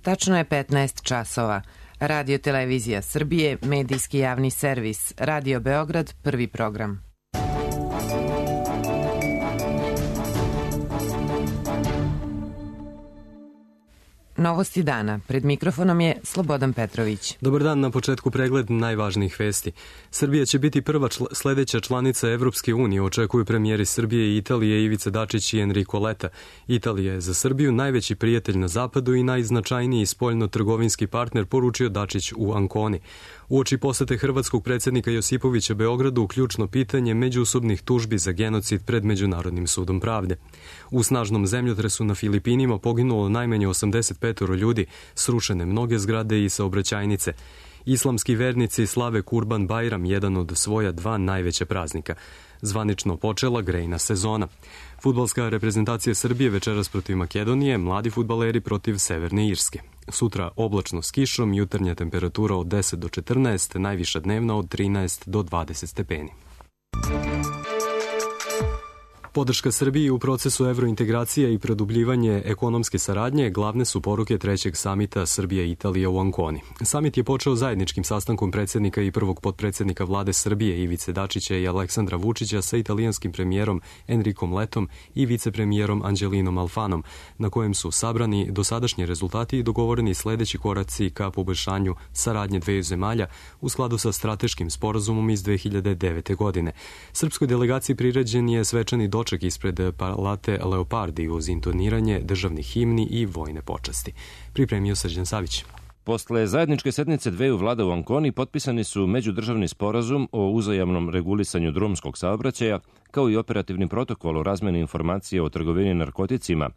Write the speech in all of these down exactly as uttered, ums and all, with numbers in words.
Tačno je petnaest časova. Radio Televizija Srbije, medijski javni servis, Radio Beograd, prvi program. Novosti dana. Pred mikrofonom je Slobodan Petrović. Dobar dan, na početku pregled najvažnijih vesti. Srbija će biti prva čl- sledeća članica Evropske unije, očekuju premijeri Srbije i Italije Ivica Dačić i Enrico Letta. Italija je za Srbiju najveći prijatelj na zapadu i najznačajniji spoljno-trgovinski partner, poručio Dačić u Anconi. Uoči posete hrvatskog predsjednika Josipovića Beogradu ključno pitanje međusobnih tužbi za genocid pred Međunarodnim sudom pravde. U snažnom zemljotresu na Filipinima poginulo najmanje osamdeset pet ljudi, srušene mnoge zgrade i saobraćajnice. Islamski vernici slave Kurban Bajram, jedan od svoja dva najveća praznika. Zvanično počela grejna sezona. Fudbalska reprezentacija Srbije večeras protiv Makedonije, mladi fudbaleri protiv Severne Irske. Sutra oblačno s kišom, jutarnja temperatura od deset do četrnaest, najviša dnevna od trinaest do dvadeset stepeni. Podrška Srbiji u procesu evrointegracije i produbljivanje ekonomske saradnje glavne su poruke trećeg samita Srbije i Italije u Anconi. Samit je počeo zajedničkim sastankom predsjednika i prvog potpredsjednika vlade Srbije Ivice Dačića i Aleksandra Vučića sa italijanskim premijerom Enricom Lettom i vicepremijerom Anđelinom Alfanom, na kojem su sabrani dosadašnji rezultati i dogovoreni sledeći koraci ka poboljšanju saradnje dveju zemalja u skladu sa strateškim sporazumom iz dve hiljade devete. godine. Srpskoj delegaciji priređen je svečani doček ispred Palate Leopardi uz intoniranje državnih himni i vojne počasti. Pripremio Srđan Savić. Posle zajedničke sednice dveju vlada u Anconi potpisani su međudržavni sporazum o uzajamnom regulisanju drumskog saobraćaja, kao i operativni protokol o razmeni informacija o trgovini narkoticima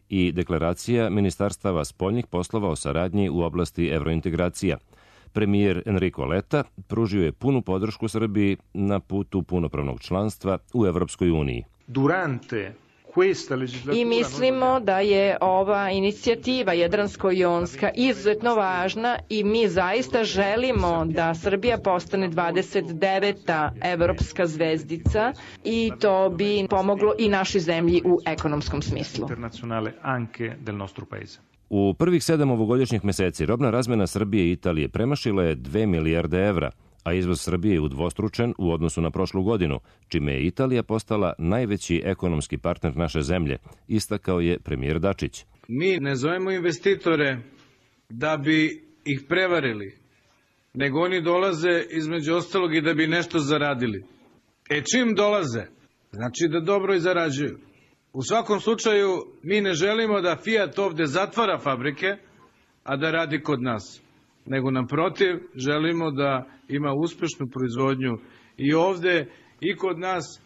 i deklaracija Ministarstava spoljnih poslova o saradnji u oblasti evrointegracija. Premijer Enrico Letta pružio je punu podršku Srbiji na putu punopravnog članstva u Evropskoj uniji. Durante I mislimo da je ova inicijativa Jadransko-jonska izuzetno važna i mi zaista želimo da Srbija postane dvadeset deveta evropska zvezdica i to bi pomoglo i našoj zemlji u ekonomskom smislu. U prvih sedam ovogodišnjih meseci robna razmena Srbije i Italije premašila je dve milijarde evra, a izvoz Srbije je udvostručen u odnosu na prošlu godinu, čime je Italija postala najveći ekonomski partner naše zemlje, istakao je premijer Dačić. Mi ne zovemo investitore da bi ih prevarili, nego oni dolaze između ostalog i da bi nešto zaradili. E čim dolaze, znači da dobro i zarađuju. U svakom slučaju mi ne želimo da Fiat ovde zatvara fabrike, a da radi kod nas, nego naprotiv želimo da ima uspešnu proizvodnju i ovde i kod nas.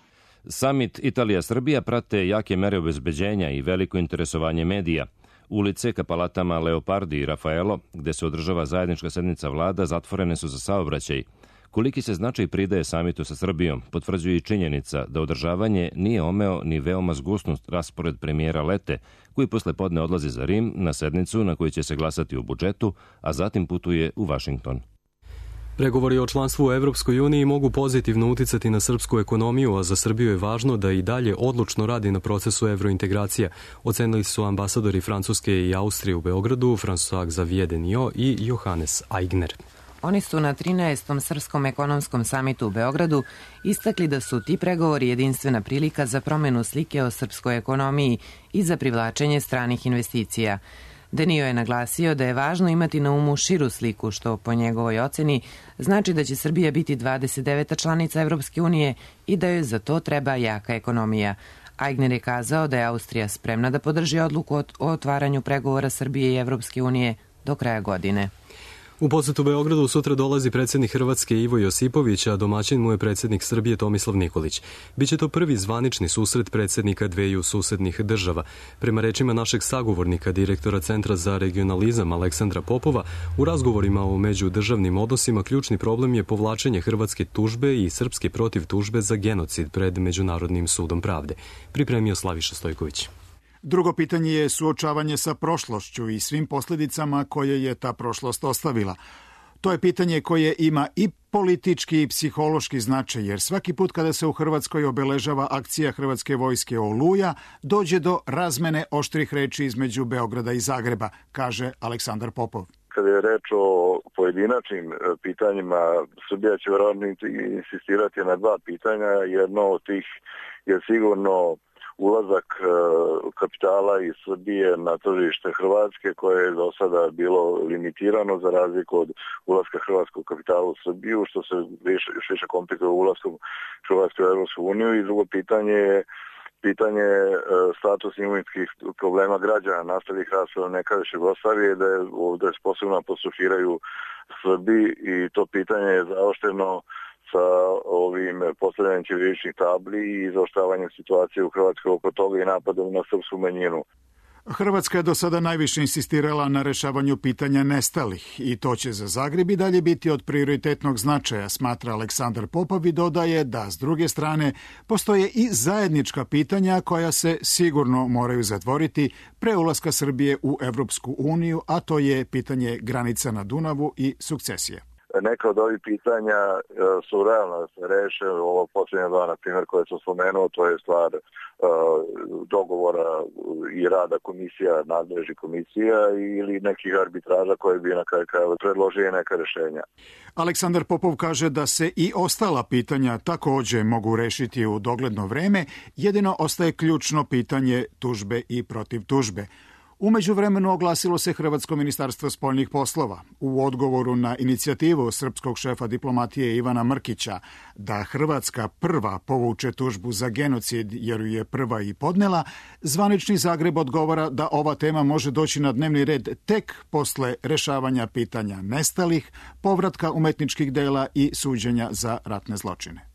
Samit Italija-Srbija prate jake mere obezbeđenja i veliko interesovanje medija. Ulice ka palatama Leopardi i Rafaelo, gde se održava zajednička sednica vlada, zatvorene su za saobraćaj. Koliki se značaj pridaje samitu sa Srbijom, potvrđuje i činjenica da održavanje nije omeo ni veoma zgusnut raspored premijera Lette, koji posle podne odlazi za Rim na sednicu na kojoj će se glasati o budžetu, a zatim putuje u Vašington. Pregovori o članstvu u Evropskoj uniji mogu pozitivno uticati na srpsku ekonomiju, a za Srbiju je važno da i dalje odlučno radi na procesu evrointegracija, ocenili su ambasadori Francuske i Austrije u Beogradu, François-Xavier Deniot i Johannes Aigner. Oni su na trinaestom Srpskom ekonomskom samitu u Beogradu istakli da su ti pregovori jedinstvena prilika za promenu slike o srpskoj ekonomiji i za privlačenje stranih investicija. Denio je naglasio da je važno imati na umu širu sliku, što po njegovoj oceni znači da će Srbija biti dvadeset deveta članica Evropske unije i da joj za to treba jaka ekonomija. Aigner je kazao da je Austrija spremna da podrži odluku o otvaranju pregovora Srbije i Evropske unije do kraja godine. U posetu Beogradu sutra dolazi predsjednik Hrvatske Ivo Josipović, a domaćin mu je predsjednik Srbije Tomislav Nikolić. Biće to prvi zvanični susret predsjednika dveju susednih država. Prema rečima našeg sagovornika, direktora Centra za regionalizam Aleksandra Popova, u razgovorima o međudržavnim odnosima ključni problem je povlačenje hrvatske tužbe i srpske protiv tužbe za genocid pred Međunarodnim sudom pravde. Pripremio Slaviša Stojković. Drugo pitanje je suočavanje sa prošlošću i svim posljedicama koje je ta prošlost ostavila. To je pitanje koje ima i politički i psihološki značaj, jer svaki put kada se u Hrvatskoj obeležava akcija Hrvatske vojske Oluja, dođe do razmene oštrih reči između Beograda i Zagreba, kaže Aleksandar Popov. Kada je reč o pojedinačnim pitanjima, Srbija će verovatno insistirati na dva pitanja. Jedno od tih je sigurno ulazak kapitala iz Srbije na tržište Hrvatske, koje je do sada bilo limitirano za razliku od ulaska hrvatskog kapitala u Srbiju, što se više, više komplikuje ulaskom Hrvatske u Evropsku uniju. I drugo pitanje je pitanje status imovinskih problema građana nastalih raspada nekadašnje Jugoslavije, da je ovdje posebno apostrofiraju Srbi, i to pitanje je zaošteno sa ovim postavljanjem ćiriličnih tabli i zaoštravanjem situacije u Hrvatskoj oko toga i napadom na srpsku manjinu. Hrvatska je do sada najviše insistirala na rešavanju pitanja nestalih i to će za Zagreb i dalje biti od prioritetnog značaja, smatra Aleksandar Popov i dodaje da s druge strane postoje i zajednička pitanja koja se sigurno moraju zatvoriti pre ulaska Srbije u Evropsku uniju, a to je pitanje granica na Dunavu i sukcesije. Neka od ovih pitanja su realno da se reše. Ovo posljednje dva, na primjer, koje sam spomenuo, to je stvar dogovora i rada komisija, nadležnih komisija ili nekih arbitraža koje bi na kraju krajeva predložili neka rešenja. Aleksandar Popov kaže da se i ostala pitanja takođe mogu rešiti u dogledno vreme, jedino ostaje ključno pitanje tužbe i protiv tužbe. U međuvremenu oglasilo se Hrvatsko ministarstvo spoljnih poslova u odgovoru na inicijativu srpskog šefa diplomatije Ivana Mrkića da Hrvatska prva povuče tužbu za genocid jer ju je prva i podnela. Zvanični Zagreb odgovara da ova tema može doći na dnevni red tek posle rešavanja pitanja nestalih, povratka umetničkih dela i suđenja za ratne zločine.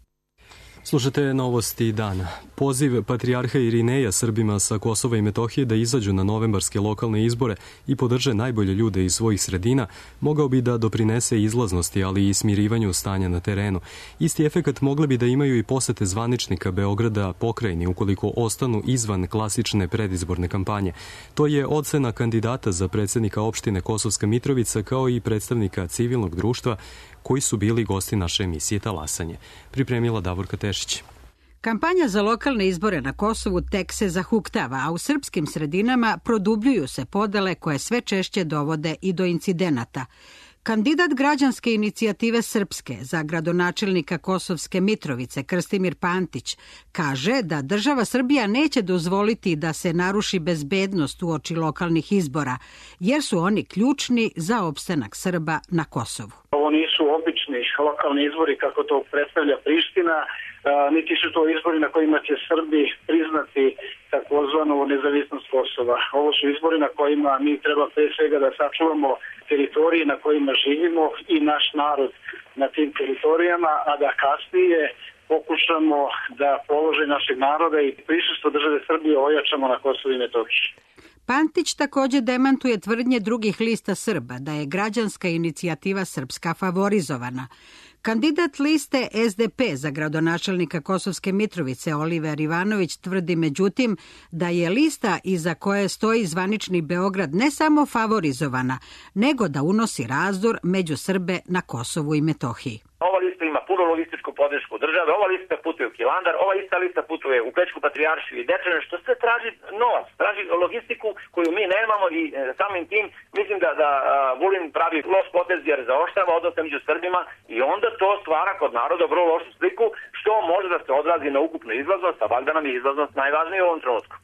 Slušate novosti dana. Poziv patrijarha Irineja Srbima sa Kosova i Metohije da izađu na novembarske lokalne izbore i podrže najbolje ljude iz svojih sredina mogao bi da doprinese izlaznosti, ali i smirivanju stanja na terenu. Isti efekat mogli bi da imaju i posete zvaničnika Beograda pokrajini ukoliko ostanu izvan klasične predizborne kampanje. To je ocena kandidata za predsednika opštine Kosovska Mitrovica kao i predstavnika civilnog društva koji su bili gosti naše emisije Talasanje. Pripremila Davorka Tešić. Kampanja za lokalne izbore na Kosovu tek se zahuktava, a u srpskim sredinama produbljuju se podele koje sve češće dovode i do incidenata. Kandidat građanske inicijative Srpske za gradonačelnika Kosovske Mitrovice Krstimir Pantić kaže da država Srbija neće dozvoliti da se naruši bezbednost uoči lokalnih izbora, jer su oni ključni za opstanak Srba na Kosovu. Ovo nisu obični lokalni izbori kako to predstavlja Priština, niti su to izbori na kojima će Srbi priznati takozvanu nezavisnost Kosova. Ovo su izbori na kojima mi treba pre svega da sačuvamo teritorije na kojima živimo i naš narod na tim teritorijama, a da kasnije pokušamo da položaj našeg naroda i prisustvo države Srbije ojačamo na Kosovu i Metohiji. Pantić takođe demantuje tvrdnje drugih lista Srba da je građanska inicijativa Srpska favorizovana. Kandidat liste S D P za gradonačelnika Kosovske Mitrovice Oliver Ivanović tvrdi međutim da je lista iza koje stoji zvanični Beograd ne samo favorizovana, nego da unosi razdor među Srbe na Kosovu i Metohiji. Ova lista ima puno logističku podršku države, ova lista putuje u Hilandar, ova ista lista putuje u Bečku patrijaršiju i Dečane, što sve traži novac, traži logistiku koju mi nemamo i e, samim tim mislim da, da a, Vulin pravi loš potez jer zaoštrava odnose među Srbima i onda to stvara kod naroda vrlo lošu sliku što može da se odrazi na ukupnu izlaznost, a valjda nam je izlaznost najvažnija u ovom trenutku.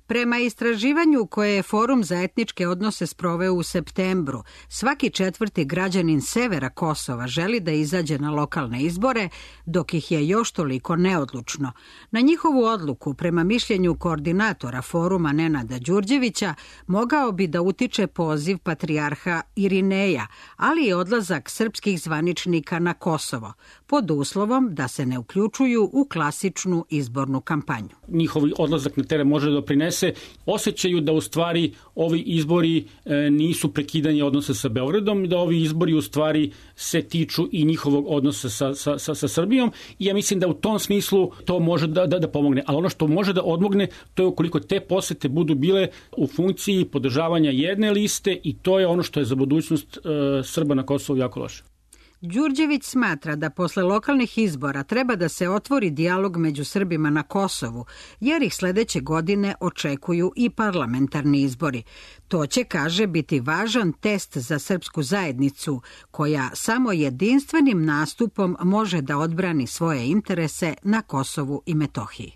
Prema istraživanju koje je Forum za etničke odnose sproveo u septembru, svaki četvrti građanin severa Kosova želi da izađe na lokalne izbore, dok ih je još toliko neodlučno. Na njihovu odluku, prema mišljenju koordinatora foruma Nenada Đurđevića, mogao bi da utiče poziv patrijarha Irineja, ali i odlazak srpskih zvaničnika na Kosovo, pod uslovom da se ne uključuju u klasičnu izbornu kampanju. Njihov odlazak na teren može doprinesti interese, osjećaju da u stvari ovi izbori nisu prekidanje odnosa sa Beogradom, da ovi izbori u stvari se tiču i njihovog odnosa sa, sa, sa, sa Srbijom i ja mislim da u tom smislu to može da, da, da pomogne. Ali ono što može da odmogne, to je ukoliko te posete budu bile u funkciji podržavanja jedne liste i to je ono što je za budućnost e, Srba na Kosovu jako loše. Đurđević smatra da posle lokalnih izbora treba da se otvori dijalog među Srbima na Kosovu, jer ih sledeće godine očekuju i parlamentarni izbori. To će, kaže, biti važan test za srpsku zajednicu, koja samo jedinstvenim nastupom može da odbrani svoje interese na Kosovu i Metohiji.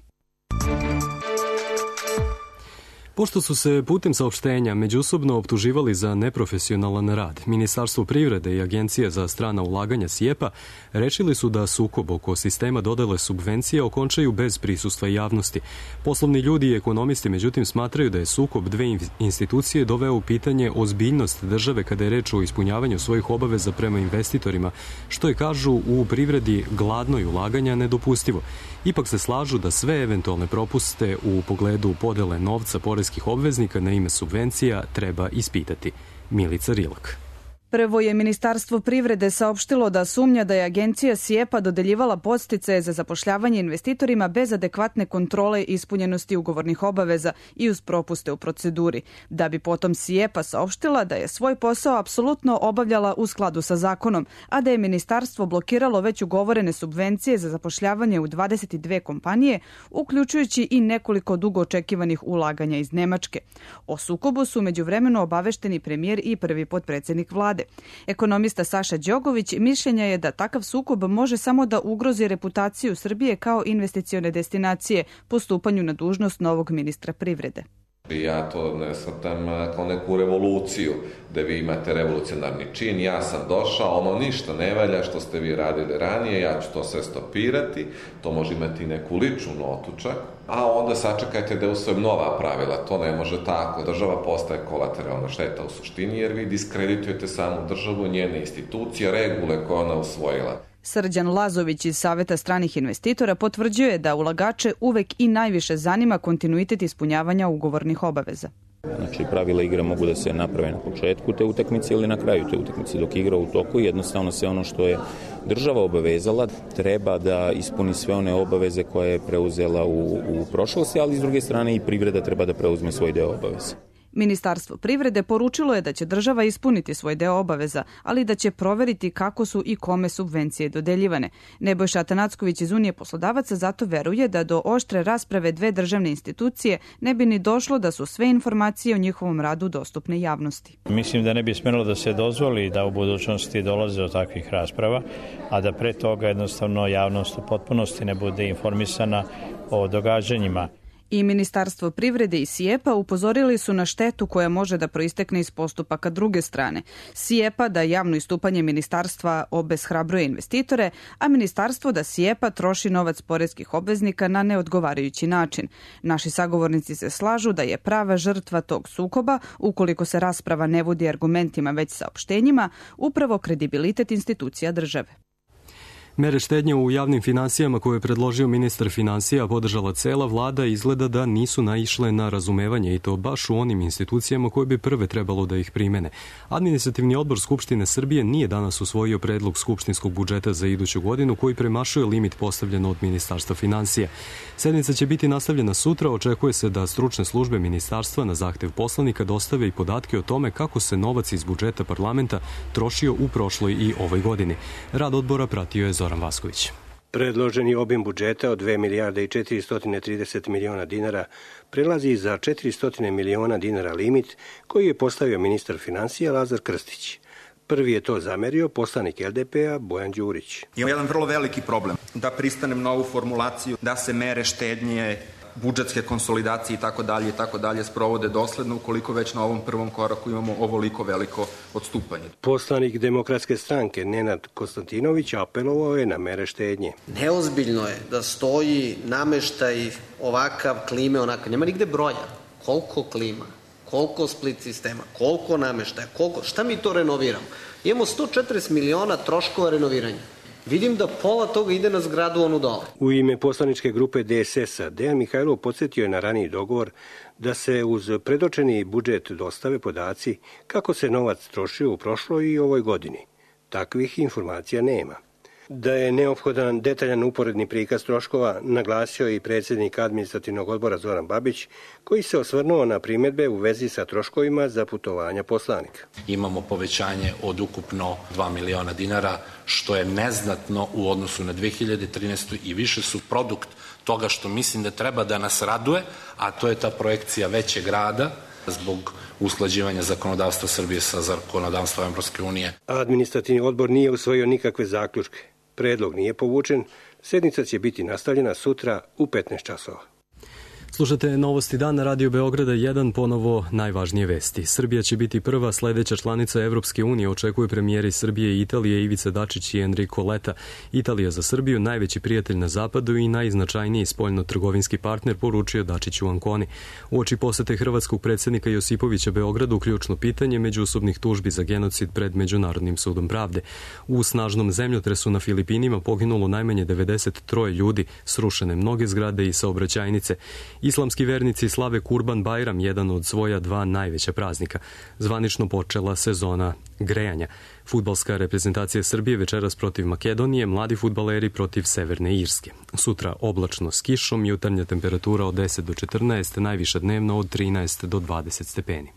Pošto su se putem saopštenja međusobno optuživali za neprofesionalan rad, Ministarstvo privrede i Agencija za strana ulaganja SIEPA rešili su da sukob oko sistema dodele subvencija okončaju bez prisustva javnosti. Poslovni ljudi i ekonomisti međutim smatraju da je sukob dve institucije doveo u pitanje ozbiljnost države kada je reč o ispunjavanju svojih obaveza prema investitorima, što je, kažu, u privredi gladnoj ulaganja nedopustivo. Ipak se slažu da sve eventualne propuste u pogledu podele novca poreskih obveznika na ime subvencija treba ispitati. Milica Rilak. Prvo je Ministarstvo privrede saopštilo da sumnja da je agencija SIEPA dodeljivala podsticaje za zapošljavanje investitorima bez adekvatne kontrole ispunjenosti ugovornih obaveza i uz propuste u proceduri, da bi potom SIEPA saopštila da je svoj posao apsolutno obavljala u skladu sa zakonom, a da je ministarstvo blokiralo već ugovorene subvencije za zapošljavanje u dvadeset dve kompanije, uključujući i nekoliko dugo očekivanih ulaganja iz Nemačke. O sukobu su međuvremeno obavešteni premijer i prvi potpredsednik vlade. Ekonomista Saša Đogović mišljenja je da takav sukob može samo da ugrozi reputaciju Srbije kao investicione destinacije po stupanju na dužnost novog ministra privrede. Ja to ne shvatam kao neku revoluciju, da vi imate revolucionarni čin, ja sam došao, ono ništa ne valja što ste vi radili ranije, ja ću to sve stopirati, to može imati neku ličnu notu čak, a onda sačekajte da usvojim nova pravila, to ne može tako. Država postaje kolateralna šteta u suštini, jer vi diskreditujete samu državu, njene institucije, regule koje ona usvojila. Srđan Lazović iz Saveta stranih investitora potvrđuje da ulagače uvek i najviše zanima kontinuitet ispunjavanja ugovornih obaveza. Znači, pravila igre mogu da se naprave na početku te utakmice ili na kraju te utakmice. Dok igra u toku, jednostavno se ono što je država obavezala treba da ispuni sve one obaveze koje je preuzela u, u prošlosti, ali s druge strane i privreda treba da preuzme svoj deo obaveza. Ministarstvo privrede poručilo je da će država ispuniti svoj deo obaveza, ali da će proveriti kako su i kome subvencije dodeljivane. Nebojša Atanacković iz Unije poslodavaca zato veruje da do oštre rasprave dve državne institucije ne bi ni došlo da su sve informacije o njihovom radu dostupne javnosti. Mislim da ne bi smelo da se dozvoli da u budućnosti dolaze do takvih rasprava, a da pre toga jednostavno javnost u potpunosti ne bude informisana o događanjima. I Ministarstvo privrede i SIEPA upozorili su na štetu koja može da proistekne iz postupaka druge strane. SIEPA da javno istupanje ministarstva obeshrabruje investitore, a ministarstvo da SIEPA troši novac poreskih obveznika na neodgovarajući način. Naši sagovornici se slažu da je prava žrtva tog sukoba, ukoliko se rasprava ne vodi argumentima već saopštenjima, upravo kredibilitet institucija države. Mere štednje u javnim finansijama koje je predložio ministar finansija podržala cela vlada izgleda da nisu naišle na razumevanje i to baš u onim institucijama koje bi prve trebalo da ih primene. Administrativni odbor Skupštine Srbije nije danas usvojio predlog skupštinskog budžeta za iduću godinu koji premašuje limit postavljen od Ministarstva finansija. Sednica će biti nastavljena sutra, očekuje se da stručne službe ministarstva na zahtev poslanika dostave i podatke o tome kako se novac iz budžeta parlamenta trošio u prošloj i ovoj godini. Rad odbora pratio je Zoran Vasković. Predloženi obim budžeta od dve milijarde i četiristo trideset miliona dinara prelazi za četiristo miliona dinara limit koji je postavio ministar finansija Lazar Krstić. Prvi je to zamerio poslanik L D P-a Bojan Đurić. Ima jedan vrlo veliki problem da pristanem na ovu formulaciju da se mere štednje, budžetske konsolidacije i tako dalje i tako dalje sprovode dosledno ukoliko već na ovom prvom koraku imamo ovoliko veliko odstupanje. Poslanik Demokratske stranke Nenad Konstantinović apelovao je na mere štednje. Neozbiljno je da stoji nameštaj ovakav, klime onakav. Nema nigde broja. Koliko klima, koliko split sistema, koliko nameštaja, koliko, šta mi to renoviramo? Imamo sto četrdeset miliona troškova renoviranja. Vidim da pola toga ide na zgradu onu dole. U ime poslaničke grupe D S S-a Dejan Mihajlov podsjetio je na raniji dogovor da se uz predočeni budžet dostave podaci kako se novac trošio u prošloj i ovoj godini. Takvih informacija nema. Da je neophodan detaljan uporedni prikaz troškova naglasio i predsjednik administrativnog odbora Zoran Babić, koji se osvrnuo na primjedbe u vezi sa troškovima za putovanja poslanika. Imamo povećanje od ukupno dva miliona dinara, što je neznatno u odnosu na dve hiljade trinaestu. i više su produkt toga što mislim da treba da nas raduje, a to je ta projekcija većeg rada zbog usklađivanja zakonodavstva Srbije sa zakonodavstvom Evropske unije. Administrativni odbor nije usvojio nikakve zaključke. Predlog nije povučen, sednica će biti nastavljena sutra u petnaest časova. Slušate Novosti dana Radio Beograda jedan, ponovo najvažnije vesti. Srbija će biti prva sledeća članica Evropske unije, očekuju premijeri Srbije i Italije Ivica Dačić i Enrico Letta. Italija za Srbiju, najveći prijatelj na zapadu i najznačajniji spoljno-trgovinski partner, poručio Dačić u Anconi. Uoči posete hrvatskog predsjednika Josipovića Beogradu, ključno pitanje međusobnih tužbi za genocid pred Međunarodnim sudom pravde. U snažnom zemljotresu na Filipinima poginulo najmanje devedeset troje ljudi, srušene mnoge zgrade i saobraćajnice. Islamski vernici slave Kurban Bajram, jedan od svoja dva najveća praznika. Zvanično počela sezona grejanja. Fudbalska reprezentacija Srbije večeras protiv Makedonije, mladi fudbaleri protiv Severne Irske. Sutra oblačno s kišom, jutarnja temperatura od deset do četrnaest, najviša dnevno od trinaest do dvadeset stepeni.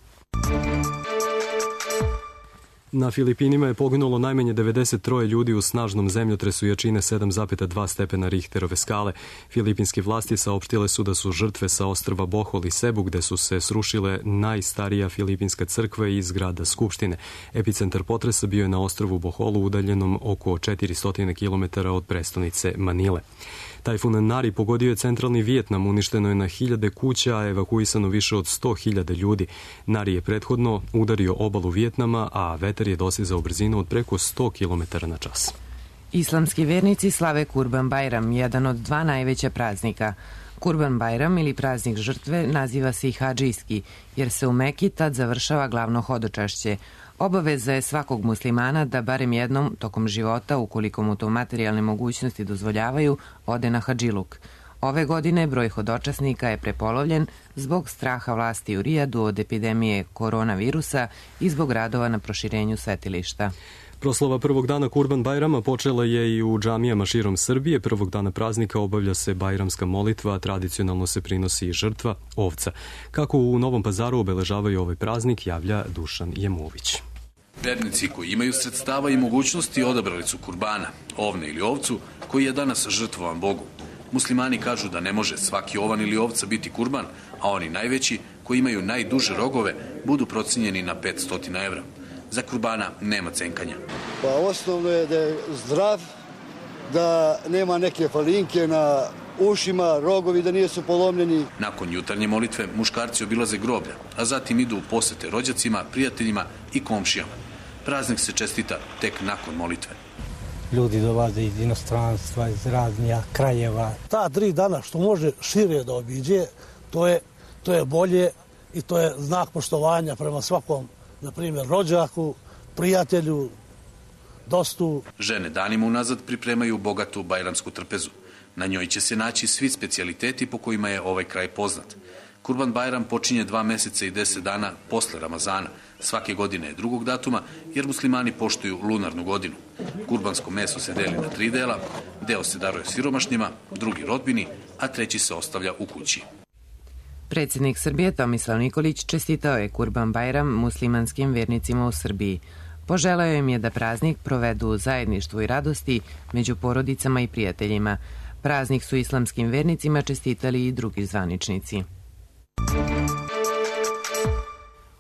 Na Filipinima je poginulo najmanje devedeset troje ljudi u snažnom zemljotresu jačine sedam zarez dva stepena Richterove skale. Filipinske vlasti saopštile su da su žrtve sa ostrva Bohol i Sebu, gde su se srušile najstarija filipinska crkva i zgrada Skupštine. Epicentar potresa bio je na ostrvu Boholu, udaljenom oko četiristo kilometara od prestonice Manile. Tajfun Nari pogodio je centralni Vijetnam, uništeno je na hiljade kuća, a evakuisano više od sto hiljada ljudi. Nari je prethodno udario obalu Vijetnama, a vetar je dosizao brzinu od preko sto kilometara na čas. Islamski vernici slave Kurban Bajram, jedan od dva najveća praznika. Kurban Bajram ili praznik žrtve naziva se i hadžijski, jer se u Meki tad završava glavno hodočašće. Obaveza je svakog muslimana da barem jednom tokom života, ukoliko mu to materijalne mogućnosti dozvoljavaju, ode na hadžiluk. Ove godine broj hodočasnika je prepolovljen zbog straha vlasti u Rijadu od epidemije koronavirusa i zbog radova na proširenju svetilišta. Proslava prvog dana Kurban Bajrama počela je i u džamijama širom Srbije. Prvog dana praznika obavlja se bajramska molitva, a tradicionalno se prinosi i žrtva, ovca. Kako u Novom Pazaru obeležavaju ovaj praznik, javlja Dušan Jemović. Vernici koji imaju sredstava i mogućnosti odabrali su kurbana, ovne ili ovcu, koji je danas žrtvovan Bogu. Muslimani kažu da ne može svaki ovan ili ovca biti kurban, a oni najveći, koji imaju najduže rogove, budu procenjeni na petsto evra. Za kurbana nema cenkanja. Pa osnovno je da je zdrav, da nema neke falinke na ušima, rogovi da nisu polomljeni. Nakon jutarnje molitve muškarci obilaze groblja, a zatim idu u posete rođacima, prijateljima i komšijama. Praznik se čestita tek nakon molitve. Ljudi dolaze iz inostranstva, iz raznih krajeva. Ta tri dana što može šire da obiđe, to je, to je bolje i to je znak poštovanja prema svakom, na primjer, rođaku, prijatelju, dostu. Žene danima unazad pripremaju bogatu bajramsku trpezu. Na njoj će se naći svi specijaliteti po kojima je ovaj kraj poznat. Kurban Bajram počinje dva meseca i deset dana posle Ramazana. Svake godine je drugog datuma, jer muslimani poštuju lunarnu godinu. Kurbansko meso se deli na tri dela, deo se daruje siromašnjima, drugi rodbini, a treći se ostavlja u kući. Predsjednik Srbije Tomislav Nikolić čestitao je Kurban Bajram muslimanskim vernicima u Srbiji. Poželeo im je da praznik provedu u zajedništvu i radosti među porodicama i prijateljima. Praznik su islamskim vernicima čestitali i drugi zvaničnici.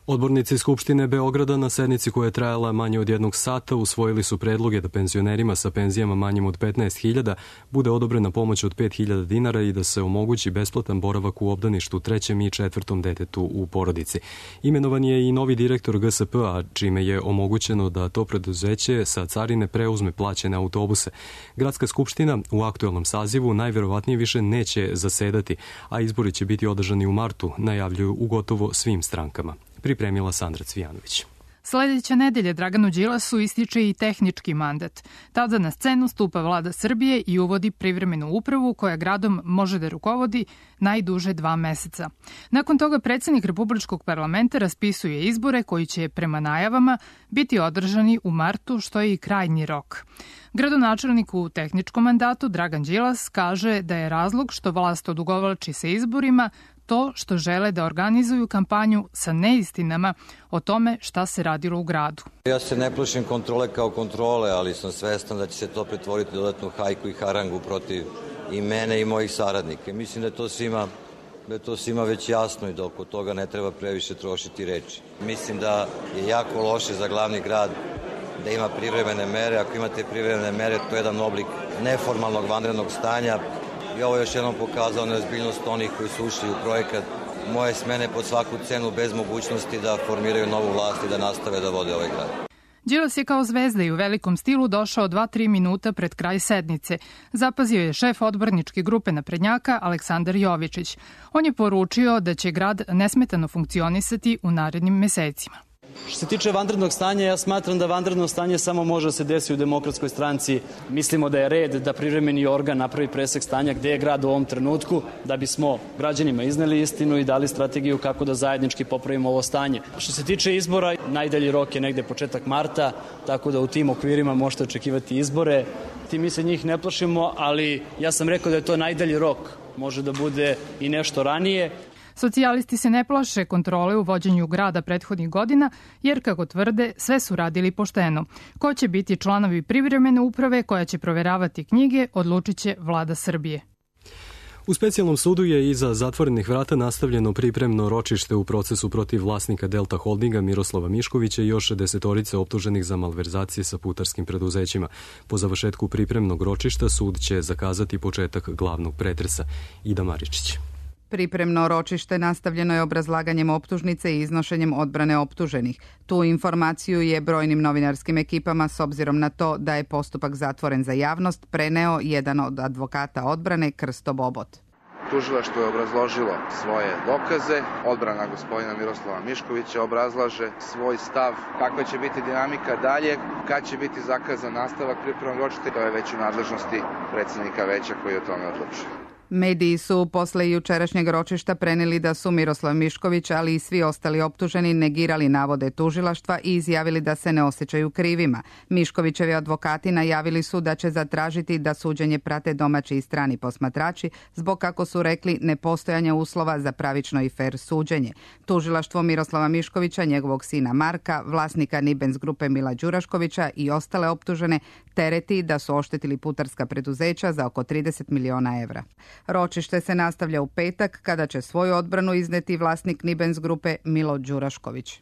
Odbornici Skupštine Beograda na sednici koja je trajala manje od jednog sata usvojili su predloge da penzionerima sa penzijama manjim od petnaest hiljada bude odobrena pomoć od pet hiljada dinara i da se omogući besplatan boravak u obdaništu trećem i četvrtom detetu u porodici. Imenovan je i novi direktor G S P-a, čime je omogućeno da to preduzeće sa carine preuzme plaćene autobuse. Gradska skupština u aktuelnom sazivu najverovatnije više neće zasedati, a izbori će biti održani u martu, najavljuju u gotovo svim strankama. Pripremila Sandra Cvijanović. Sledeće nedelje Draganu Đilasu ističe i tehnički mandat. Tada na scenu stupa vlada Srbije i uvodi privremenu upravu koja gradom može da rukovodi najduže dva meseca. Nakon toga predsednik Republičkog parlamenta raspisuje izbore koji će prema najavama biti održani u martu, što je i krajnji rok. Gradonačelnik u tehničkom mandatu Dragan Đilas kaže da je razlog što vlast odugovlači sa izborima to što žele da organizuju kampanju sa neistinama o tome šta se radilo u gradu. Ja se ne plašim kontrole kao kontrole, ali sam svestan da će se to pretvoriti dodatnu hajku i harangu protiv i mene i mojih saradnika. Mislim da je to svima, da je to svima već jasno i da oko toga ne treba previše trošiti reči. Mislim da je jako loše za glavni grad da ima privremene mere. Ako imate privremene mere, to je jedan oblik neformalnog vanrednog stanja. I ovo je još jednom pokazao neozbiljnost onih koji su ušli u projekat moje smene pod svaku cenu bez mogućnosti da formiraju novu vlast i da nastave da vode ovaj grad. Đilas je kao zvezda i u velikom stilu došao dva tri minuta pred kraj sednice. Zapazio je šef odborničke grupe naprednjaka Aleksandar Jovičić. On je poručio da će grad nesmetano funkcionisati u narednim mesecima. Što se tiče vanrednog stanja, ja smatram da vanredno stanje samo može da se desi u Demokratskoj stranci. Mislimo da je red da privremeni organ napravi presek stanja gde je grad u ovom trenutku, da bismo građanima izneli istinu i dali strategiju kako da zajednički popravimo ovo stanje. Što se tiče izbora, najdalji rok je negde početak marta, tako da u tim okvirima možete očekivati izbore. Ti mi se njih ne plašimo, ali ja sam rekao da je to najdalji rok. Može da bude i nešto ranije. Socijalisti se ne plaše kontrole u vođenju grada prethodnih godina, jer, kako tvrde, sve su radili pošteno. Ko će biti članovi privremene uprave koja će proveravati knjige, odlučit će vlada Srbije. U specijalnom sudu je iza zatvorenih vrata nastavljeno pripremno ročište u procesu protiv vlasnika Delta Holdinga Miroslava Miškovića i još desetorice optuženih za malverzacije sa putarskim preduzećima. Po završetku pripremnog ročišta sud će zakazati početak glavnog pretresa. Ida Maričić. Pripremno ročište nastavljeno je obrazlaganjem optužnice i iznošenjem odbrane optuženih. Tu informaciju je brojnim novinarskim ekipama, s obzirom na to da je postupak zatvoren za javnost, preneo jedan od advokata odbrane Krsto Bobot. Tužilaštvo je obrazložilo svoje dokaze, odbrana gospodina Miroslava Miškovića obrazlaže svoj stav, kakva će biti dinamika dalje, kad će biti zakazan nastavak pripremnog ročišta, to je već u nadležnosti predsednika veća koji o tome odlučuje. Mediji su posle jučerašnjeg ročišta preneli da su Miroslav Mišković, ali i svi ostali optuženi negirali navode tužilaštva i izjavili da se ne osjećaju krivima. Miškovićevi advokati najavili su da će zatražiti da suđenje prate domaći i strani posmatrači zbog, kako su rekli, nepostojanja uslova za pravično i fer suđenje. Tužilaštvo Miroslava Miškovića, njegovog sina Marka, vlasnika Nibens grupe Mila Đuraškovića i ostale optužene tereti da su oštetili putarska preduzeća za oko trideset miliona evra. Ročište se nastavlja u petak, kada će svoju odbranu izneti vlasnik Nibens grupe Milo Đurašković.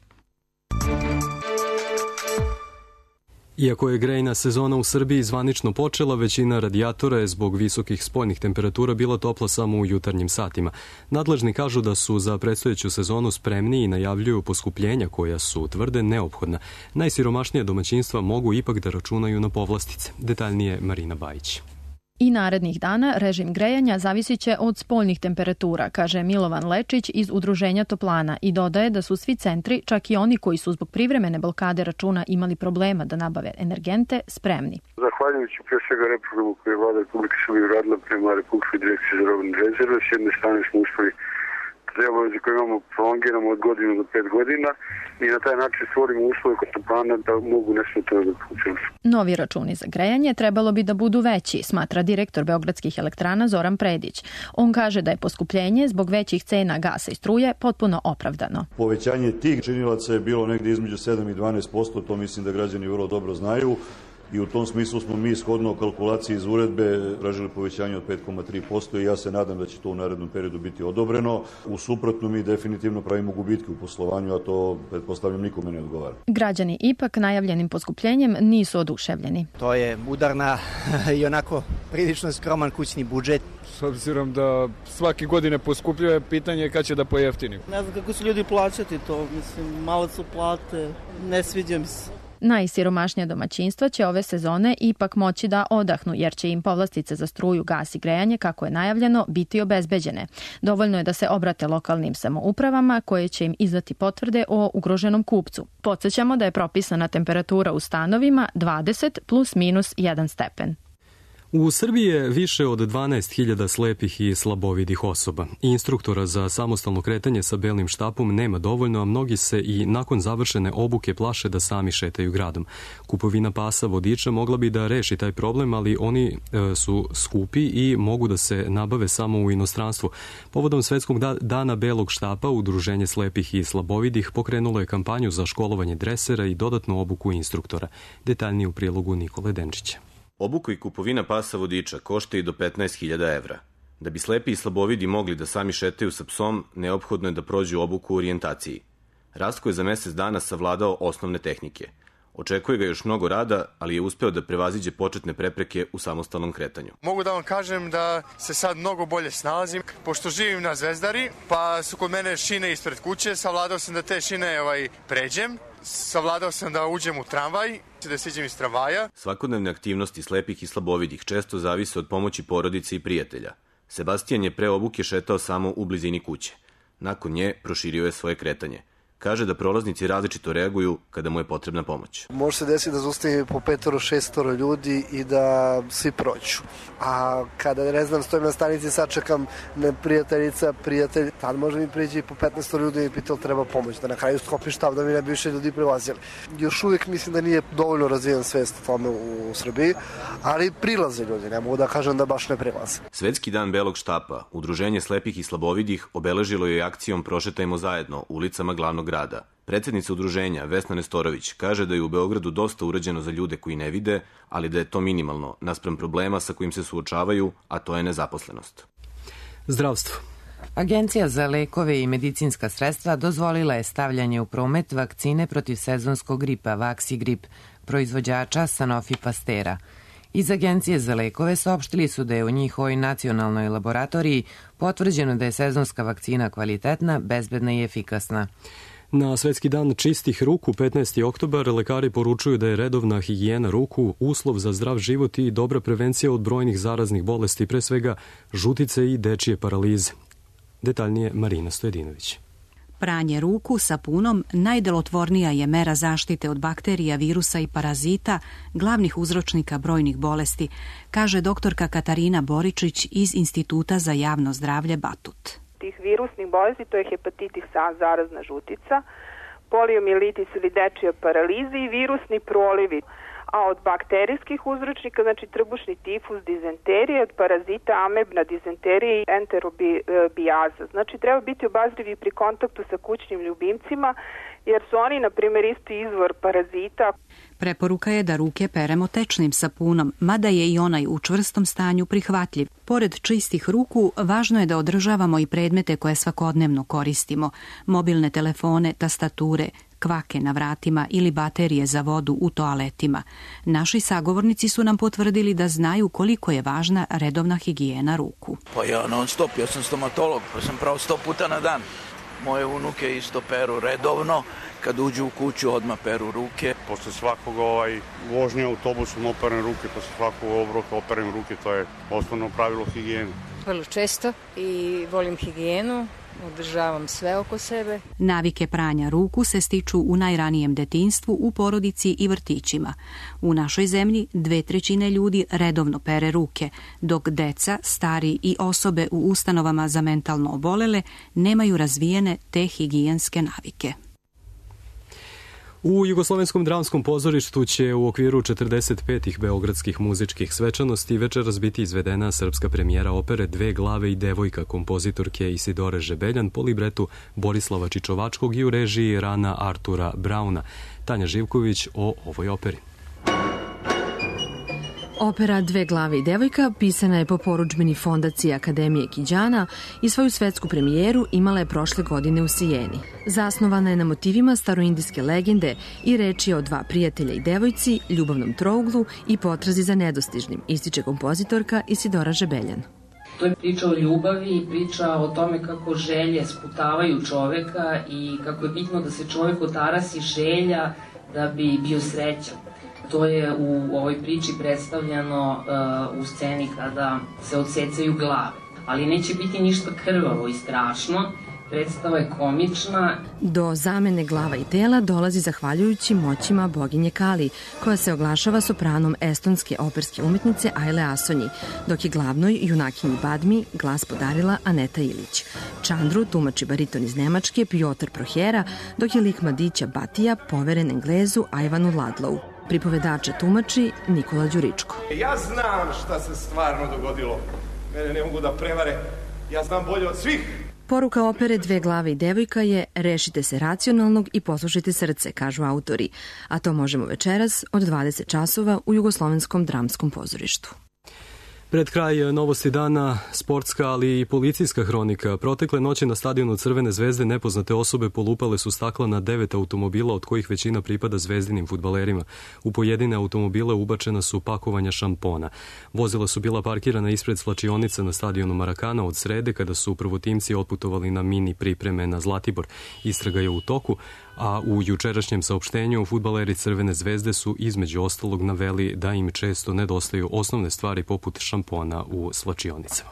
Iako je grejna sezona u Srbiji zvanično počela, većina radijatora je zbog visokih spoljnih temperatura bila topla samo u jutarnjim satima. Nadležni kažu da su za predstojeću sezonu spremni i najavljuju poskupljenja koja su, tvrde, neophodna. Najsiromašnija domaćinstva mogu ipak da računaju na povlastice. Detaljnije Marina Bajić. I narednih dana režim grejanja zavisit će od spoljnih temperatura, kaže Milovan Lečić iz Udruženja Toplana i dodaje da su svi centri, čak i oni koji su zbog privremene blokade računa imali problema da nabave energente, spremni. Zahvaljujući pre svega reprogramu koje je vlada Republike Srbije uradila prema Republičkoj direkciji za robne rezerve, s jedne strane smo uspeli te obaveze koje imamo prolongiramo od godinu do pet godina i na taj način stvorimo uslove kod toplana da mogu nesmetano da funkcionišu. Novi računi za grejanje trebalo bi da budu veći, smatra direktor Beogradskih elektrana Zoran Predić. On kaže da je poskupljenje zbog većih cena gasa i struje potpuno opravdano. Povećanje tih činilaca je bilo negde između sedam i dvanaest posto, to mislim da građani vrlo dobro znaju. I u tom smislu smo mi shodno kalkulaciji iz uredbe tražili povećanje od pet zarez tri posto i ja se nadam da će to u narednom periodu biti odobreno. U suprotnom mi definitivno pravimo gubitke u poslovanju, a to, pretpostavljam, nikome ne odgovara. Građani ipak najavljenim poskupljenjem nisu oduševljeni. To je udar na i onako prilično skroman kućni budžet. S obzirom da svake godine poskupljuje, pitanje je kad će da pojeftini. Ne znam kako su ljudi plaćati to, mislim, male su plate, ne sviđa mi se. Najsiromašnija domaćinstva će ove sezone ipak moći da odahnu, jer će im povlastice za struju, gas i grejanje, kako je najavljeno, biti obezbeđene. Dovoljno je da se obrate lokalnim samoupravama koje će im izdati potvrde o ugroženom kupcu. Podsećamo da je propisana temperatura u stanovima dvadeset plus minus jedan stepen. U Srbiji je više od dvanaest hiljada slepih i slabovidih osoba. Instruktora za samostalno kretanje sa belim štapom nema dovoljno, a mnogi se i nakon završene obuke plaše da sami šetaju gradom. Kupovina pasa vodiča mogla bi da reši taj problem, ali oni e, su skupi i mogu da se nabave samo u inostranstvu. Povodom Svetskog dana belog štapa, Udruženje slepih i slabovidih pokrenulo je kampanju za školovanje dresera i dodatnu obuku instruktora. Detaljnije u prilogu Nikole Denčića. Obuka i kupovina pasa vodiča košta i do petnaest hiljada evra. Da bi slepi i slabovidi mogli da sami šetaju sa psom, neophodno je da prođu obuku u orijentaciji. Rastko je za mesec dana savladao osnovne tehnike. Očekuje ga još mnogo rada, ali je uspeo da prevaziđe početne prepreke u samostalnom kretanju. Mogu da vam kažem da se sad mnogo bolje snalazim. Pošto živim na Zvezdari, pa su kod mene šine ispred kuće, savladao sam da te šine ovaj, pređem. Savladao sam da uđem u tramvaj, da siđem iz tramvaja. Svakodnevne aktivnosti slepih i slabovidih često zavise od pomoći porodice i prijatelja. Sebastijan je pre obuke šetao samo u blizini kuće. Nakon nje proširio je svoje kretanje. Kaže da prolaznici različito reaguju kada mu je potrebna pomoć. Može se desiti da zaustavi po petoro, šestoro ljudi i da svi prođu. A kada, ne znam, stojim na stanici, sačekam prijateljica, prijatelj, tad može mi priđi po petnaest ljudi i pitao treba pomoć, da na kraju skopi štab da mi ne bi više ljudi prilazili. Još uvijek mislim da nije dovoljno razvijen svest o tome u Srbiji, ali prilaze ljudi, ne mogu da kažem da baš ne prilaze. Svetski dan belog štapa, Udruženje slepih i slabovidih obeležilo je akcijom Prošetajmo zajedno ulicama glavnog grada. Predsednica udruženja Vesna Nestorović kaže da je u Beogradu dosta urađeno za ljude koji ne vide, ali da je to minimalno naspram problema sa kojim se suočavaju, a to je nezaposlenost. Zdravstvo. Agencija za lekove i medicinska sredstva dozvolila je stavljanje u promet vakcine protiv sezonskog gripa Vaksigrip, proizvođača Sanofi Pastera. Iz Agencije za lekove saopštili su da je u njihovoj nacionalnoj laboratoriji potvrđeno da je sezonska vakcina kvalitetna, bezbedna i efikasna. Na Svetski dan čistih ruku, petnaesti oktobar, lekari poručuju da je redovna higijena ruku uslov za zdrav život i dobra prevencija od brojnih zaraznih bolesti, pre svega žutice i dečije paralize. Detaljnije Marina Stojedinović. Pranje ruku sapunom najdelotvornija je mera zaštite od bakterija, virusa i parazita, glavnih uzročnika brojnih bolesti, kaže doktorka Katarina Boričić iz Instituta za javno zdravlje Batut. Tih virusnih bolesti, to je hepatitis A, zarazna žutica, poliomijelitis ili dečija paraliza i virusni prolivi. A od bakterijskih uzročnika, znači trbušni tifus, dizenterija, od parazita amebna dizenterija i enterobijaza. Znači treba biti obazrivi pri kontaktu sa kućnim ljubimcima, jer su oni, na primjer, isti izvor parazita. Preporuka je da ruke peremo tečnim sapunom, mada je i onaj u čvrstom stanju prihvatljiv. Pored čistih ruku, važno je da održavamo i predmete koje svakodnevno koristimo, mobilne telefone, tastature, kvake na vratima ili baterije za vodu u toaletima. Naši sagovornici su nam potvrdili da znaju koliko je važna redovna higijena ruku. Pa ja non stop, ja sam stomatolog, pa sam pravo sto puta na dan. Moje unuke isto peru redovno, kad uđu u kuću odmah peru ruke. Posle svakog ovaj, vožnje autobusom operem ruke, posle svakog obroka operem ruke, to je osnovno pravilo higijene. Vrlo često i volim higijenu. Održavam sve oko sebe. Navike pranja ruku se stiču u najranijem detinjstvu, u porodici i vrtićima. U našoj zemlji dve trećine ljudi redovno pere ruke, dok deca, stari i osobe u ustanovama za mentalno obolele nemaju razvijene te higijenske navike. U Jugoslovenskom dramskom pozorištu će u okviru četrdeset petih beogradskih muzičkih svečanosti večeras biti izvedena srpska premijera opere Dve glave i devojka kompozitorke Isidore Žebeljan po libretu Borislava Čičovačkog i u režiji Rana Artura Brauna. Tanja Živković o ovoj operi. Opera Dve glave i devojka pisana je po porudžbini Fondacije Akademije Kiđana i svoju svetsku premijeru imala je prošle godine u Sijeni. Zasnovana je na motivima staroindijske legende i reč je o dva prijatelja i devojci, ljubavnom trouglu i potrazi za nedostižnim, ističe kompozitorka Isidora Žebeljan. To je priča o ljubavi i priča o tome kako želje sputavaju čoveka i kako je bitno da se čovek otarasi želja da bi bio srećan. To je u ovoj priči predstavljeno uh, u sceni kada se odsecaju glave. Ali neće biti ništa krvavo i strašno. Predstava je komična. Do zamene glava i tela dolazi zahvaljujući moćima boginje Kali, koja se oglašava sopranom estonske operske umetnice Aile Asonji, dok je glavnoj junakinji Badmi glas podarila Aneta Ilić. Čandru tumači bariton iz Nemačke Piotr Prohera, dok je lik mladića Batija poveren Englezu Ajvanu Ladlovu. Pripovedača tumači Nikola Đuričko. Ja znam šta se stvarno dogodilo. Mene ne mogu da prevare. Ja znam bolje od svih. Poruka opere Dve glave i devojka je rešite se racionalnog i poslušajte srce, kažu autori. A to možemo večeras od dvadeset časova u Jugoslovenskom dramskom pozorištu. Pred kraj novosti dana, sportska, ali i policijska hronika. Protekle noći na stadionu Crvene zvezde nepoznate osobe polupale su stakla na devet automobila, od kojih većina pripada zvezdinim fudbalerima. U pojedine automobile ubačena su pakovanja šampona. Vozila su bila parkirana ispred slačionice na stadionu Marakana od srede, kada su prvotimci otputovali na mini pripreme na Zlatibor. Istraga je u toku, a u jučerašnjem saopštenju fudbaleri Crvene zvezde su između ostalog naveli da im često nedostaju osnovne stvari poput šampona u slačionicama.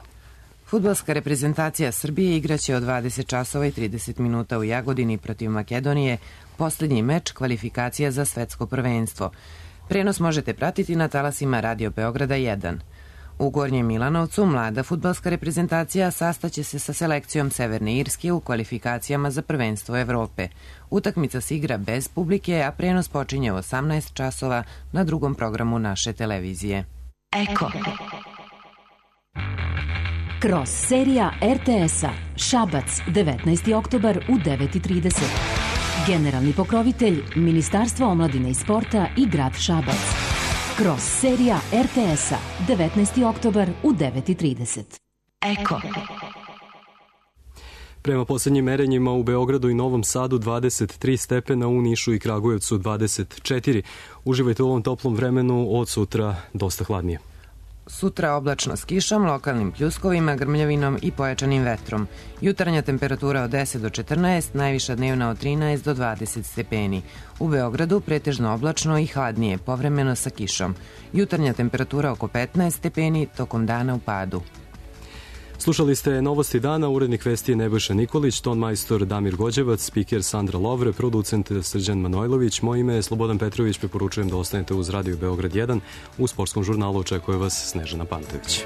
Fudbalska reprezentacija Srbije igraće od dvadeset časova i trideset minuta u Jagodini protiv Makedonije, poslednji meč kvalifikacija za svetsko prvenstvo. Prenos možete pratiti na talasima Radio Beograda jedan. U Gornjem Milanovcu mlada fudbalska reprezentacija sastaće se sa selekcijom Severne Irske u kvalifikacijama za prvenstvo Evrope. Utakmica se igra bez publike, a prenos počinje u osamnaest časova na drugom programu naše televizije. Eko. Kroz serija er te es-a Šabac, devetnaesti oktobar u devet i trideset. Generalni pokrovitelj Ministarstvo omladine i sporta i grad Šabac. Kroz serija er te es-a devetnaesti oktobar u devet i trideset. Eko. Prema poslednjim merenjima u Beogradu i Novom Sadu dvadeset tri stepena, u Nišu i Kragujevcu dvadeset četiri. Uživajte u ovom toplom vremenu, od sutra dosta hladnije. Sutra oblačno s kišom, lokalnim pljuskovima, grmljavinom i pojačanim vetrom. Jutarnja temperatura od deset do četrnaest, najviša dnevna od trinaest do dvadeset stepeni. U Beogradu pretežno oblačno i hladnije, povremeno sa kišom. Jutarnja temperatura oko petnaest stepeni, tokom dana u padu. Slušali ste novosti dana, urednik vesti je Nebojša Nikolić, ton majstor Damir Gođevac, spiker Sandra Lovre, producent Srđan Manojlović. Moje ime je Slobodan Petrović, preporučujem da ostanete uz Radio Beograd jedan. U sportskom žurnalu očekuje vas Snežana Pantović.